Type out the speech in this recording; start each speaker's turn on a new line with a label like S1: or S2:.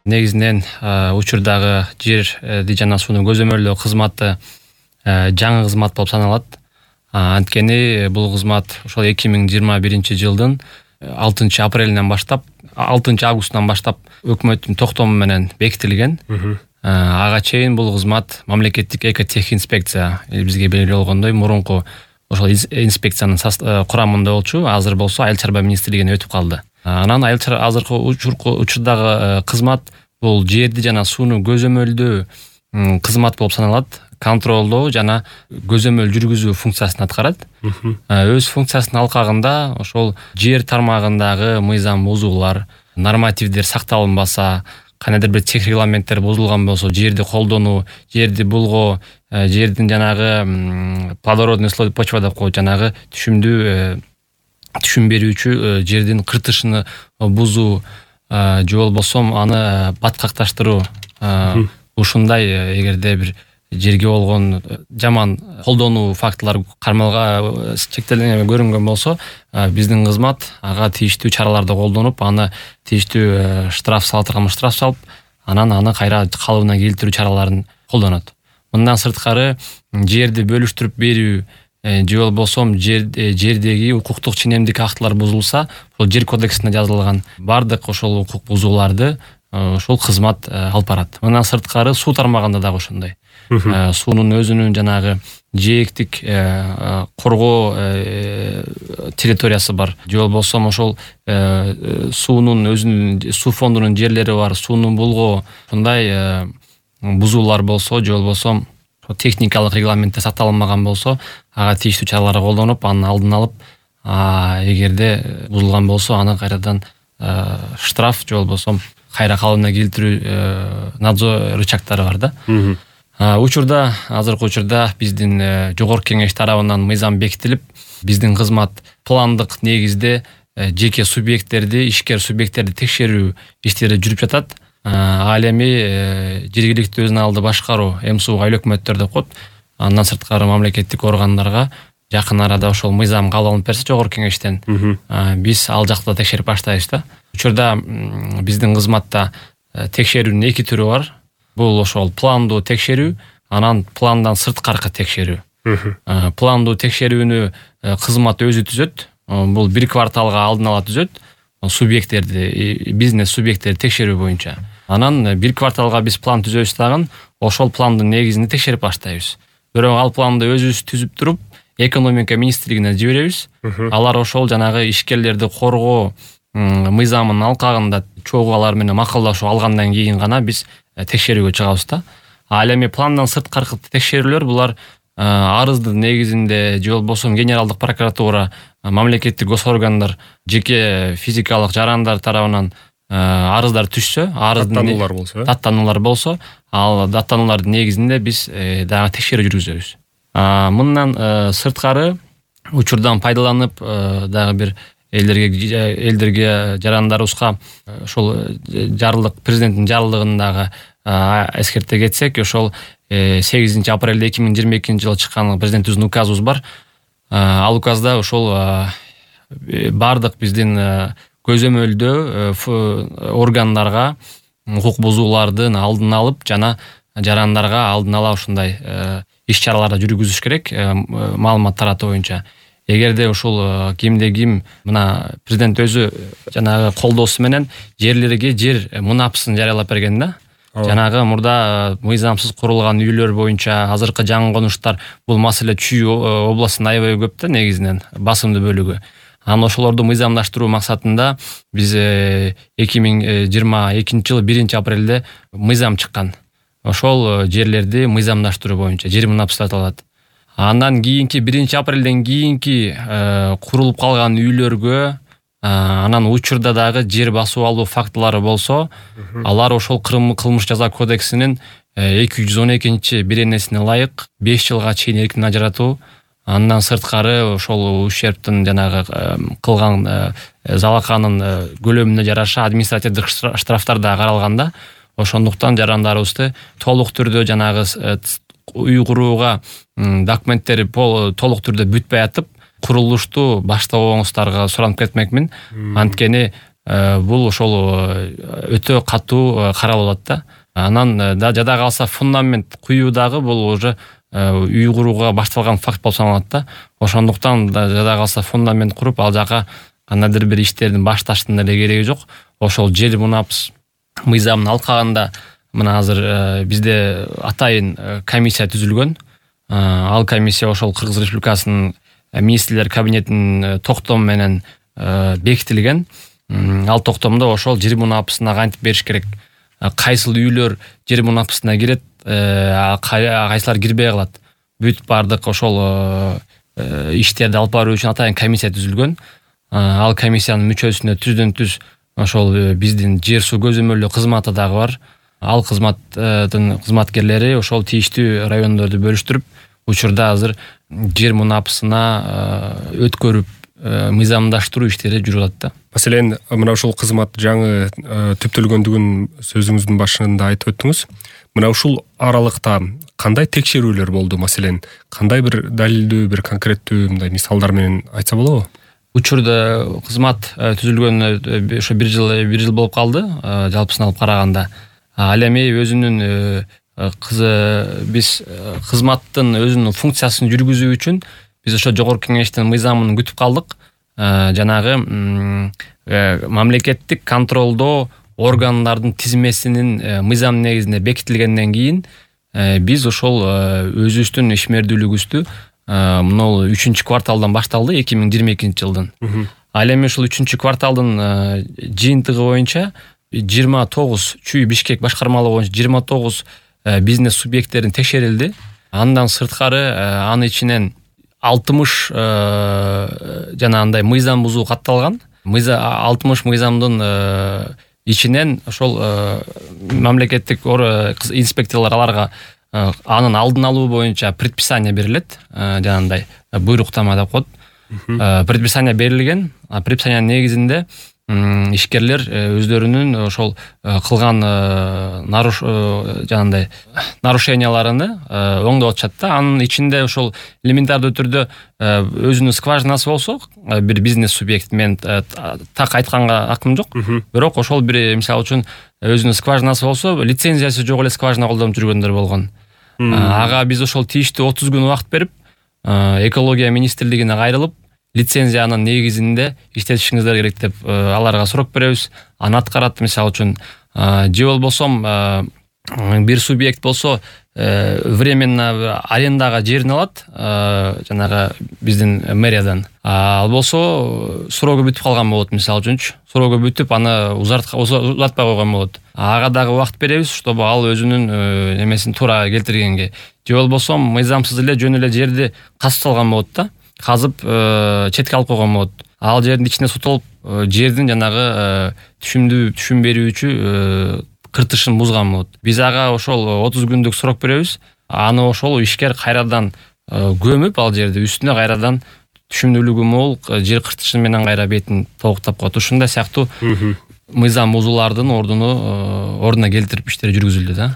S1: негизинен учурдагы жерди жана сууну көзөмөлдөө кызматы жаңы кызмат болуп саналат. Анткени бул кызмат ошол 2021 жылдын 6 апрелинен баштап 6 августунан баштап өкмөттүн токтому менен бекитилген. Ага чейин бул кызмат мамлекеттик экотехинспекция бизге белгилүү болгондой мурунку ошол инспекциянын курамында болчу. Азыр болсо Айыл чарба министрлигине өтүп калды. Анан азыркы учурдагы кызмат бул жерди жана сууну көзөмөлдөө кызмат болуп саналат. Контролдоо жана көзөмөл жүргүзүү функциясын аткарат. Өз функциясынын алкагында ошол жер тармагындагы мыйзам бузуулар, нормативдер сакталынбаса, кандайдыр бир тех регламенттер бузулган болсо, жерди колдонуу, жерди булгоо, жердин жанагы плодородный слой почва деп коет, жанагы түшүм берүүчү жердин кыртышын бузуу же болбосо аны баткакташтыруу, ушундай эгерде бир жерге болгон жаман колдонуу фактылар кармалга чектелген көрүнгөн болсо, биздин кызмат ага тийиштүү чараларды колдонуп, аны тийиштүү штраф салып, анан аны кайра калыбына келтирүү чараларын колдонот. Мындан сырткары жерди бөлүштүрүп берүү же болбосо жердеги укуктук ченемдик актылар бузулса, бул жер кодексинде жазылган бардык ошол укук бузууларды ошол кызмат алып барат. Мындан сырткары суу тармагында дагы ошондой. Суунун өзүнүн жанагы жээктик коргоо территориясы бар. Же болбосо ошол суунун өзүнүн суу фондунун жерлери бар, суунун булгоо, ушундай бузуулар болсо, же болбосо техникалык регламентте сакталынбаган болсо, ага тийиштүү чаралар колдонуп, анын алдын алып, эгерде бузулган болсо, аны кайрадан штраф же болбосо кайра калыбына келтирүү надзор рычагтары бар да. Азыркы учурда биздин жогорку кеңеш тарабынан мыйзам бекитилип, биздин кызмат пландык негизде жеке субъекттерди, ишкер субъекттерди текшерүү иштери жүрүп жатат. Ал эми жергиликтүү өзүн алды башкаруу, МСУ айыл өкмөттөр деп коет. Андан сырткары мамлекеттик органдарга жакын арада ошол мыйзам кабыл алынып берсе жогорку кеңештен, биз ал жакта текшерип баштайбыз да. Учурда биздин кызматта текшерүүнүн 2 түрү бар. Бул ошол пландуу текшерүү, анан пландан сырткаркы текшерүү. Пландуу текшерүүнү кызмат өзү түзөт. Бул 1 кварталга алдын ала түзөт. Субъекттерди, бизнес субъекттерди текшерүү боюнча. Анан 1 кварталга биз план түзөбүз дагы, ошол пландын негизинде текшерип баштайбыз. Бирок ал планды өзүбүз түзүп туруп, экономика министрлигине жиберебиз. Алар ошол жанагы ишкерлерди коргоо мыйзамынын алкагында чогуу алар менен макулдашуу алгандан кийин гана биз текшерүүгө чыгабыз да. Ал эми пландан сырткаркы текшерүүлөр булар арыздын негизинде же болбосо генералдык прокуратура, мамлекеттик госоргандар, жеке физикалык жарандар тарабынан арыздар түшсө, даттануулар болсо, ал даттануулардын негизинде биз дагы текшерүү жүргүзөбүз. Мындан сырткары учурдан пайдаланып дагы бир элдерге жарандарыбызга ошол жарлык, президенттин жарлыгындагы эскерте кетсек, ошол 8 апрелде 2022 жылы чыккан президентибиздин указыбыз бар. Ал указда ошол бардык биздин көзөмөлдөө органдарга укук бузуулардын алдын алып жана жарандарга алдын ала ушундай иш-чараларды жүргүзүш керек, маалымат таратуу боюнча. Эгерде ушул кимде ким мына президент өзү жанагы колдоосу менен жерлерге жер мунапсын жарыялап берген да. Жанагы мурда мыйзамсыз курулган үйлөр боюнча азыркы жаңы конуштар, бул маселе Чүй областында аябай көп да, негизинен басымдуу бөлүгү. Анан ошолорду мыйзамдаштыруу максатында биз 2022 жылы 1 апрелде мыйзам чыккан. Ошол жерлерди мыйзамдаштыруу боюнча жер мунапсы деп аталат. Андан кийинки 1 апрелден кийинки курулуп калган үйлөргө анан учурда дагы жер басып алуу фактылары болсо, алар ошол кылмыш жаза кодексинин 212 беренесине ылайык 5 жылга чейин эркин ажыратуу, андан сырткары ошол ущербтин жанагы кылган залаканын көлөмүнө жараша административдик штрафтар да каралган да. Ошондуктан жарандарыбызды толук түрдө жанагы үй курууга документтери толук түрдө бүтпөй атып, курулушту баштабооңуздарга суранып кетмекмин. Анткени бул ошол өтө катуу каралып атат да. Анан да жада калса фундамент куюу дагы бул уже үй курууга башталган факт болуп саналат да. Ошондуктан жада калса фундамент куруп ал жака кандайдыр бир иштердин башташтын деле кереги жок. Ошол жер мунапс мыйзамын алкагында мына азыр бизде атайын комиссия түзүлгөн. Ал комиссия ошол Кыргыз Республикасынын министрлер кабинетинин токтому менен бекитилген. Ал токтомдо ошол жер мунапысына кантип бериш керек, кайсыл үйлөр жер мунапысына кирет, кайсылар кирбей калат. Бүт бардык ошол иштерди алып баруу үчүн атайын комиссия түзүлгөн. Ал комиссиянын мүчөсүнө түздөн-түз ошол биздин жер суу көзөмөлдөө кызматы дагы бар. Ал кызматтын кызматкерлери ошол тийиштүү райондорду бөлүштүрүп, учурда азыр жер мунапысына өткөрүп мыйзамдаштыруу иштери жүрүп атат да.
S2: Маселен, мына ушул кызмат жаңы түптөлгөндүгүн сөзүңүздүн башында айтып өттүңүз. Мына ушул аралыкта кандай текшерүүлөр болду? Маселен, кандай бир далилдүү, бир конкреттүү мындай мисалдар менен айтса болобу?
S1: Учурда кызмат түзүлгөн ошо бир жыл болуп калды, жалпысын алып караганда. Ал эми өзүнүн биз кызматтын өзүнүн функциясын жүргүзүү үчүн биз ошо жогорку кеңештин мыйзамын күтүп калдык. Жанагы мамлекеттик контролдоо органдардын тизмесинин мыйзам негизинде бекитилгенден кийин биз ошол өзүбүздүн ишмердүүлүгүбүздү мына 3-кварталдан башталды, 2022-жылдын. Ал эми ушул 3-кварталдын жыйынтыгы боюнча 29 Чүй Бишкек башкармалыгы боюнча 29 бизнес субъекттерин текшерилди. Андан сырткары анын ичинен 60 жанагындай мыйзам бузуу катталган. 60 мыйзамдын ичинен ошол мамлекеттик инспекторлор аларга анын алдын алуу боюнча предписание берилет, жанагындай буйруктама деп коет. Предписание берилген. Предписаниянын негизинде ишкерлер өздөрүнүн ошол кылган жанагындай нарушенияларыны оңдоп атышат да. Анын ичинде ошол элементардуу түрдө өзүнүн скважинасы болсо, бир бизнес субъект, мен так айтканга акым жок, бирок ошол бир мисалы үчүн өзүнүн скважинасы болсо, лицензиясы жок эле скважина колдонуп жүргөндөр болгон. Ага биз ошол тийиштүү 30 күн убакыт берип, экология министрлигине кайрылып, лицензиянын негизинде иштетишиңиздер керек деп аларга срок беребиз. Аны аткарат, мисалы үчүн. Же болбосо бир субъект болсо временно арендага жерин алат, жанагы биздин мэриядан. Ал болсо срогу бүтүп калган болот, мисалы үчүнчү. Срогу бүтүп, аны узартпай койгон болот. Ага дагы убакыт беребиз, чтобы ал өзүнүн немесин туура келтиргенге. Же болбосо мыйзамсыз эле жөн эле жерди казып салган болот да. Казып четке алып койгон болот. Ал жердин ичине суу толуп, жердин жанагы түшүм берүүчү кыртышын бузган болот. Биз ага ошол 30 күндүк срок беребиз. Аны ошол ишкер кайрадан көмүп, ал жерди үстүнө кайрадан түшүмдүүлүгү мол жер кыртышын менен кайра бетин толуктап коет. Ушундай сыяктуу мыйзам бузуулардын ордуна келтирип иштери жүргүзүлдү да.